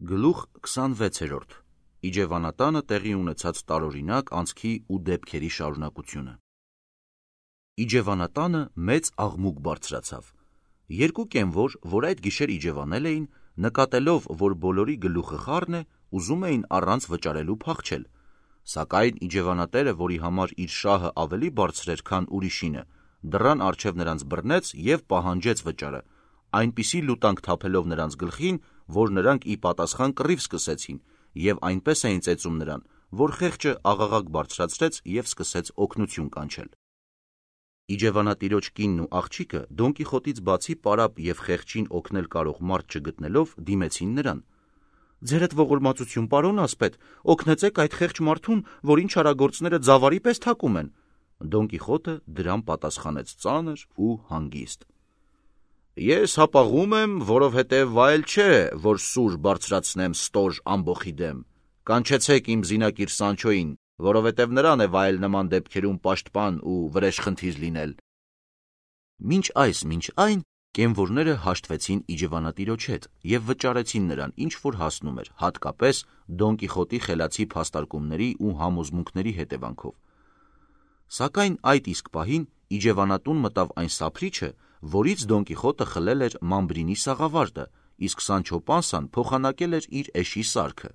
Գլուխ 26. Իջևանատանը տեղի ունեցած տարօրինակ անցքի ու դեպքերի շարունակությունը։ Իջևանատանը մեծ աղմուկ բարձրացավ։ Երկու կենվոր, որ այդ գիշեր իջևանել էին, նկատելով, որ բոլորի գլուխը խառն է, ուզում էին առանց վճարելու փախչել։ Սակայն իջևանատերը, որի համար իր շահը ավելի բարձր էր, քան ուրիշինը, դռան առջև նրանց բռնեց և պահանջեց վճարը, այնպիսի լուտանք թափելով նրանց գլխին, որ նրանք ի պատասխան կռիվ սկսեցին և այնպես էին ծեծում նրան, որ խեղճը աղաղակ բարձրացրեց և սկսեց օգնություն կանչել։ Իջևանատիրոջ կինն ու աղջիկը Դոն Կիխոտից բացի պարապ և խեղճին օգնել կարող մարդ չգտնելով, դիմեցին նրան. «Ձերդ ողորմածություն, պարոն ասպետ, օգնեցեք այդ խեղճ մարդուն, որին չարագործները ձավարի պես թակում են»։ Դոն Կիխոտը դրան պատասխանեց ծանր ու հանգիստ. «Ես հապաղում եմ, որովհետև վայել չէ, որ սուր բարձրացնեմ ստոր ամբոխի դեմ, կանչեցեք իմ զինակիր Սանչոյին, որովհետև նրան է վայել նման դեպքերում պաշտպան ու վրեժխնդիր լինել»։ Մինչ այն կենվորները հաշտվեցին իջևանատիրոջ հետ և վճարեցին նրան, ինչ որ հասնում էր, հատկապես Դոն Կիխոտի խելացի փաստարկումների ու համոզմունքների հետևանքով։ Սակայն այդ իսկ պահին իջևանատուն մտավ այն սափրիչը, որից Դոն Կիխոտը խլել էր Մամբրինի սաղավարտը, իսկ Սանչո Պանսան փոխանակել էր իր էշի սարքը։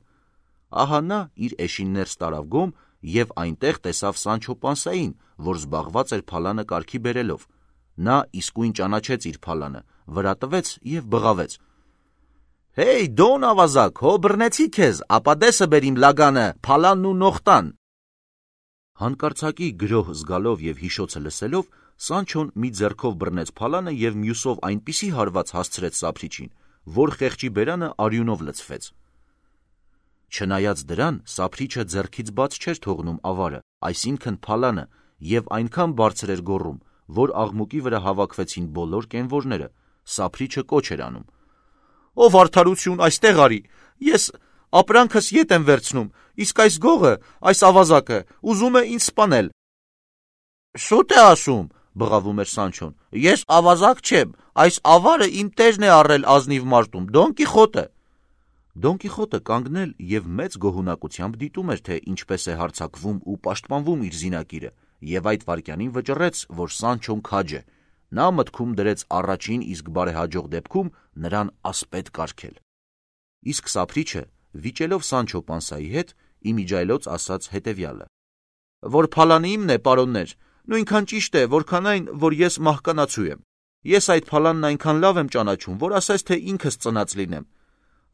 Ահա նա իր էշին ներս տարավ գոմ և այնտեղ տեսավ Սանչո Պանսային, որ զբաղված էր փալանը կարգի բերելով։ Նա իսկույն ճանաչեց իր փալանը, վրա տվեց և բղավեց. «Հեյ, Դոն ավազակ, հո բռնեցի քեզ, ապա դեսը բեր իմ լագանը, փալանն ու նողտան»։ Հանկարծակի գրոհ զգալով և հիշոցը լսելով, Սանչոն մի ձեռքով բռնեց փալանը և մյուսով այնպիսի հարված հասցրեց սափրիչին, որ խեղճի բերանը արյունով լցվեց։ Չնայած դրան, սափրիչը ձեռքից բաց չէր թողնում ավարը, այսինքն փալանը, և այնքան բարձր էր գոռում, որ աղմուկի վրա հավաքվեցին բոլոր կենվորները։ Սափրիչը կոչ էր անում. «Ով արդարություն, այստեղ արի, ես ապրանքս ետ եմ վերցնում, իսկ այս գողը, այս ավազակը, ուզում է ինձ սպանել»։ «Շուտ է ասում», բղավում էր Սանչոն, «ես ավազակ չեմ, այս ավարը իմ տերն է առել ազնիվ մարտում, Դոն Կիխոտը»։ Դոն Կիխոտը կանգնել և մեծ գոհունակությամբ դիտում էր, թե ինչպես է հարձակվում ու պաշտպանվում իր զինակիրը, և այդ վայրկյանին վճռեց, որ Սանչոն քաջ է։ Նա մտքում դրեց առաջին իսկ բարեհաջող դեպքում նրան ասպետ կարգել։ Իսկ սափրիչը, վիճելով Սանչո Պանսայի հետ, իմիջիայլոց ասաց հետևյալը. «Որ փալանը իմն է, պարոններ, նույնքան ճիշտ է, որքան այն, որ ես մահկանացու եմ։ Ես այդ փալանն այնքան լավ եմ ճանաչում, որ ասես թե ինքս ծնած լինեմ։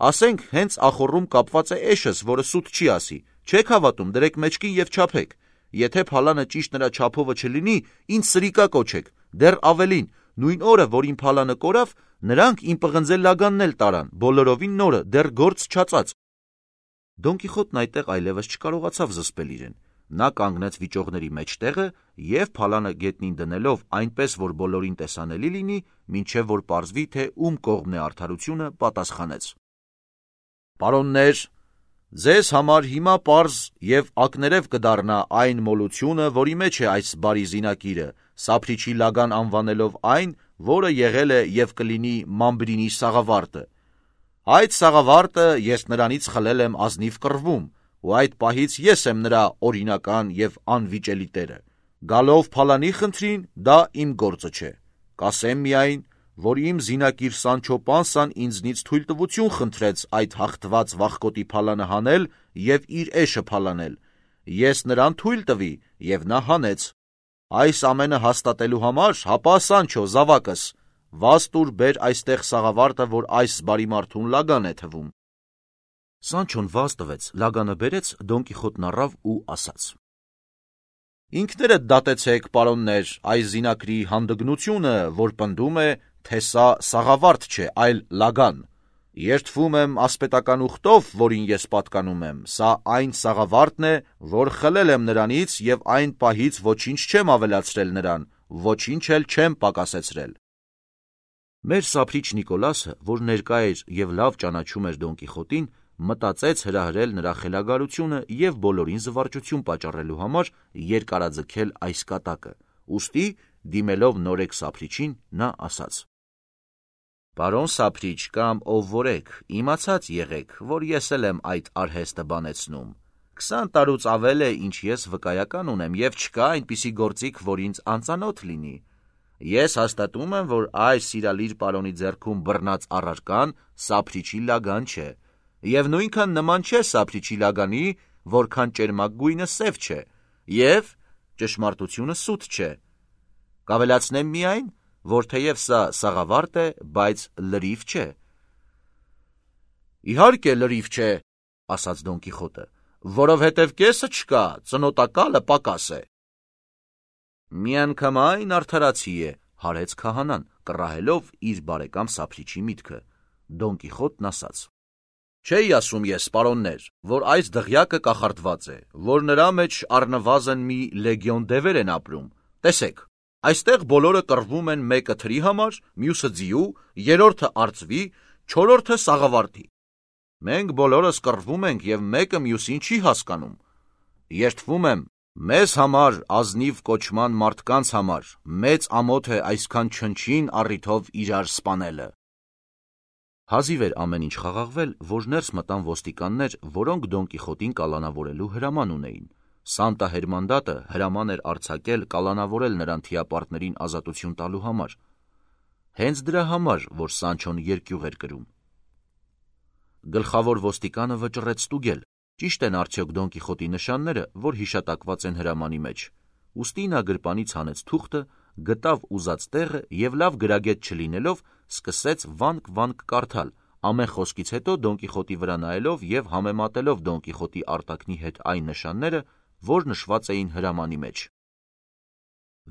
Ասենք, հենց ախոռում կապված է էշս, որը սուտ չի ասի, չեք հավատում, դրեք մեջքին և չափեք։ Եթե փալանը ճիշտ նրա չափովը չլինի, ինձ սրիկա կոչեք, դեռ ավելին, նույն օրը, որ իմ փալանը կորավ, նրանք իմ պղնձե լագանն էլ տարան, բոլորովին նորը, դեռ գործ չածած»։ Դոն Կիխոտն այդտեղ այլևս չկարողացավ զսպել իրեն։ Նա կանգնեց վիճողների մեջտեղը և փալանը գետնին դնելով այնպես, որ բոլորին տեսանելի լինի, մինչև որ պարզվի, թե ում կողմն է արդարությունը, պատասխանեց. «Պարոններ, ձեզ համար հիմա պարզ և ակներև կդառնա այն մոլությունը, որի մեջ է այս բարի զինակիրը, սափրիչի լագան անվանելով այն, որը եղել է և կլինի Մամբրինի սաղավարտը։ Այդ սաղավարտը ես նրանից խլել եմ ազնիվ կռվում, ու այդ պահից ես եմ նրա օրինական և անվիճելի տերը։ Գալով փալանի խնդրին, դա իմ գործը չէ։ Կասեմ միայն, որ իմ զինակիր Սանչո Պանսան ինձնից թույլտվություն խնդրեց այդ հաղթված վախկոտի փալանը հանել և իր էշը փալանել։ Ես նրան թույլ տվի, և նա հանեց։ Այս ամենը հաստատելու համար, հապա Սանչո, զավակս, վազ տուր բեր այստեղ սաղավարտը, որ այս բարի մարդուն լագան է թվում»։ Սանչոն վազ տվեց, լագանը բերեց, Դոն Կիխոտն առավ ու ասաց. «Ինքներդ դատեցեք, պարոններ, այս զինակրի հանդգնությունը, որ պնդում է, թե սա սաղավարտ չէ, այլ լագան։ Երդվում եմ ասպետական ուխտով, որին ես պատկանում եմ, սա այն սաղավարտն է, որ խլել եմ նրանից և այն պահից ոչինչ չեմ ավելացրել նրան, ոչինչ էլ չեմ պակասեցրել»։ Մեր սափրիչ Նիկոլասը, որ ներկա էր և լավ ճանաչում էր Դոն Կիխոտին, մտածեց հրահրել նրա խելագարությունը և բոլորին զվարճություն պատճառելու համար երկարաձգել այս կատակը, ուստի, դիմելով նորեկ սափրիչին, նա ասաց. Պարոն Սափրիչ կամ ով որ եք, իմացած եղեք, որ ես էլ եմ այդ արհեստը բանեցնում։ 20 տարուց ավել է, ինչ ես վկայական ունեմ և չկա այնպիսի գործիք, որ ինձ անծանոթ լինի։ Ես հաստատում եմ, որ այս սիրալիր պարոնի ձեռքում բռնած առարկան Սափրիչի լագան չէ, և նույնքան նման չէ Սափրիչի լագանի, որքան ճերմակ գույնը սև չէ, և ճշմարտությունը սուտ չէ։ Կավելացնեմ միայն, որ թեև սա սաղավարտ է, բայց լրիվ չէ։ Իհարկե լրիվ չէ, ասաց Դոն Կիխոտը, որովհետև կեսը չկա, ծնոտակալը պակաս է։ Միանգամայն արդարացի է, հարեց քահանան, կռահելով իր բարեկամ Սափրիչի միտքը։ Դոն Կիխոտն ասաց. Չէի ասում ես, պարոններ, որ այս դղյակը կախարդված է, որ նրա մեջ առնվազն մի լեգիոն դևեր են ապրում։ Տեսեք, այստեղ բոլորը կռվում են մեկը թրի համար, մյուսը ձիու, երրորդը արծվի, չորրորդը սաղավարտի։ Մենք բոլորս կռվում ենք և մեկը մյուսին չի հասկանում։ Երդվում եմ, մեզ համար ազնիվ կոչման մարդկանց համար մեծ ամոթ է այսքան չնչին առիթով իրար սպանելը։ Հազիվ էր ամեն ինչ խաղաղվել, որ ներս մտան ոստիկաններ, որոնք Դոն Կիխոտին կալանավորելու հրաման ունեին։ Սանտա Հերմանդատը հրաման էր արձակել կալանավորել նրան թիապարտներին ազատություն տալու համար։ Հենց դրա համար, որ Սանչոն երկյուղ էր կրում։ Գլխավոր ոստիկանը վճռեց ստուգել, ճիշտ են արդյոք Դոն Կիխոտի նշանները, որ հիշատակված են հրամանի մեջ։ Ուստի նա գրպանից հանեց թուղթը, գտավ ուզած տեղը և լավ գրագետ չլինելով, սկսեց վանք-վանք կարդալ, ամեն խոսքից հետո Դոն Կիխոտի վրա նայելով և համեմատելով Դոն Կիխոտի արտաքնի հետ այն նշանները, որ նշված էին հրամանի մեջ։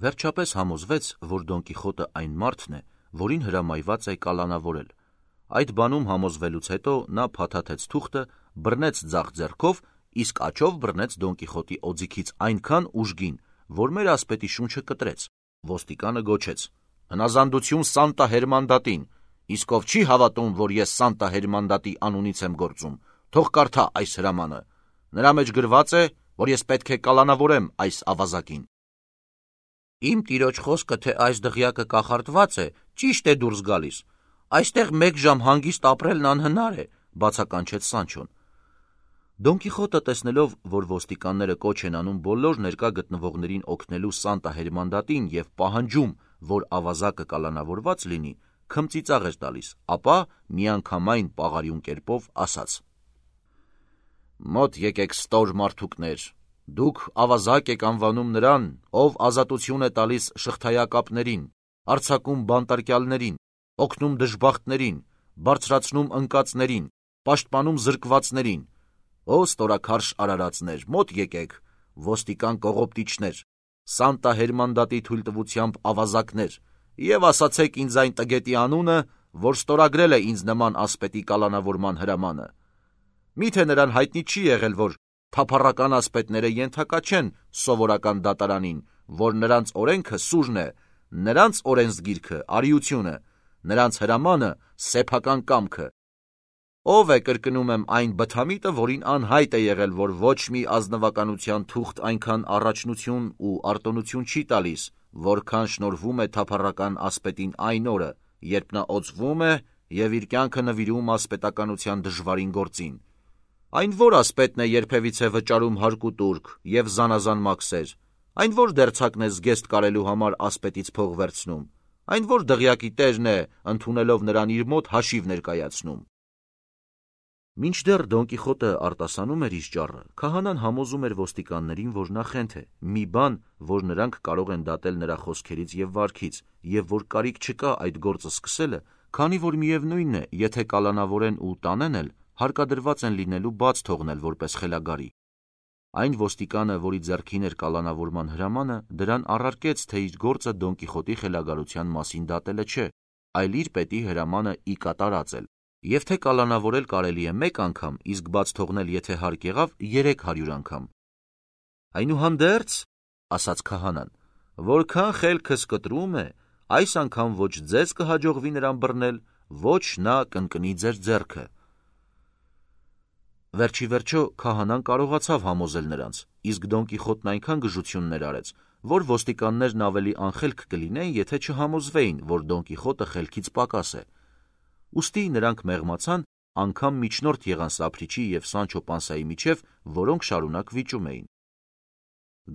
Վերջապես համոզվեց, որ Դոն Կիխոտը այն մարդն է, որին հրամայված է կալանավորել։ Այդ բանում համոզվելուց հետո նա փաթաթեց թուղթը, բռնեց ձախ ձեռքով, իսկ աջով բռնեց Դոն Կիխոտի օձիքից այնքան ուժգին, որ մեր ասպետի շունչը կտրեց։ Ոստիկանը գոչեց. Հնազանդություն Սանտա Հերմանդատին, իսկ ով չի հավատում, որ ես Սանտա Հերմանդատի անունից եմ գործում, թող կարդա այս հրամանը։ Նրա մեջ գրված է, որ ես պետք է կալանավորեմ այս ավազակին։ Իմ տիրոջ խոսքը, թե այս դղյակը կախարդված է, ճիշտ է դուրս գալիս։ Այստեղ մեկ ժամ հանգիստ ապրելն անհնար է, բացականչեց Սանչոն։ Դոն Կիխոտը տեսնելով, որ ոստիկանները կոչ են անում բոլոր ներկա գտնվողներին օգնելու Սանտա Հերմանդատին և պահանջում, որ ավազակը կալանավորված լինի, քմծիծաղ էր տալիս, ապա միանգամայն պաղարիուն կերպով ասաց. Մոտ եկեք ստոր մարդուկներ, դուք ավազակ եք անվանում նրան, ով ազատություն է տալիս շղթայակապներին, արձակում բանտարկյալներին, օգնում դժբախտներին, բարձրացնում ընկածներին, պաշտպանում զրկվածներին։ Ո ստորաքարշ արարածներ, մոտ եկեք, ոստիկան կողոպտիչներ, Սանտա Հերմանդատի թույլտվությամբ ավազակներ, և ասացեք ինձ այն տգետի անունը, որ ստորագրել է ինձ նման ասպետի կալանավորման հրամանը։ Միթե նրան հայտնի չի եղել, որ թափառական ասպետները ենթակա չեն սովորական դատարանին, որ նրանց օրենքը սուրն է, նրանց օրենսգիրքը արիությունը, նրանց հրամանը սեփական կամքը։ Ով է, կրկնում եմ, այն բթամիտը, որին անհայտ է եղել, որ ոչ մի ազնվականության թուղթ այնքան առաջնություն ու արտոնություն չի տալիս, որքան շնորհվում է թափառական ասպետին այն օրը, երբ նա օծվում է և իր կյանքը նվիրում ասպետականության դժվարին գործին։ Այն որ ասպետն է երբևիցե վճարում հարկ ու տուրք և զանազան մաքսեր, այն որ դերձակն է զգեստ կարելու համար ասպետից փող վերցնում, այն որ դղյակի տերն է, ընդունելով նրան իր մոտ հաշիվ ներկայացնում։ Մինչդեռ Դոն Կիխոտը արտասանում էր իր ճառը, քահանան համոզում էր ոստիկաններին, որ նա խենթ է, մի բան, որ նրանք կարող են դատել նրա խոսքերից և վարքից, և որ կարիք չկա այդ գործը սկսելը, քանի որ միևնույնն է, եթե կալանավորեն ու տանեն էլ, հարկադրված են լինելու բաց թողնել որպես խելագարի։ Այն ոստիկանը, որի ձեռքին էր կալանավորման հրամանը, դրան առարկեց, թե իր գործը Դոն Կիխոտի խելագարության մասին դատելը չէ, այլ իր պետի հրամանը ի կատարած էլ, և թե կալանավորել կարելի է մեկ անգամ, իսկ բաց թողնել, եթե հարկ եղավ, 300 անգամ։ Այնուհանդերձ, ասաց քահանան, որքան խելքս կտրում է, այս անգամ ոչ ձեզ կհաջողվի նրան բռնել, ոչ նա կընկնի ձեր ձեռքը։ Վերջի վերջո քահանան կարողացավ համոզել նրանց, իսկ Դոն Կիխոտն այնքան գժություններ արեց, որ ոստիկաններն ավելի անխելք կլինեին, եթե չհամոզվեին, որ Դոն Կիխոտը խելքից պակաս է։ ուստի նրանք մեղմացան, անգամ միջնորդ եղան Սափրիչի և Սանչո Պանսայի միջև, որոնք շարունակ վիճում էին։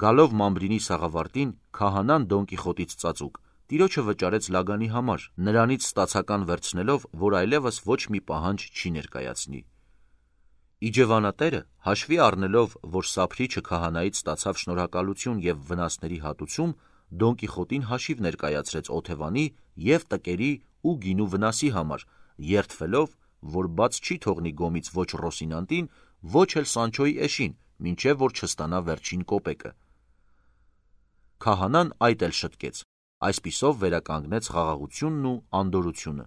Գալով Մամբրինի սաղավարտին, քահանան Դոն Կիխոտից ծածուկ, տիրոջը վճարեց Լագանի համար, նրանից ստացական վերցնելով, որ այլևս ոչ մի պահանջ չի ներկայացնի։ Իջևանատերը, հաշվի առնելով, որ Սափրիչը քահանայից ստացավ շնորհակալություն և վնասների հատուցում, Դոն Կիխոտին հաշիվ ներկայացրեց օթևանի և տկերի ու գինու վնասի համար, երդվելով, որ բաց չի թողնի գոմից ոչ Ռոսինանտին, ոչ էլ Սանչոյի էշին, մինչև որ չստանա վերջին կոպեկը։ Քահանան այդ էլ շտկեց, այսպիսով վերականգնեց խաղաղությունն ու անդորրությունը։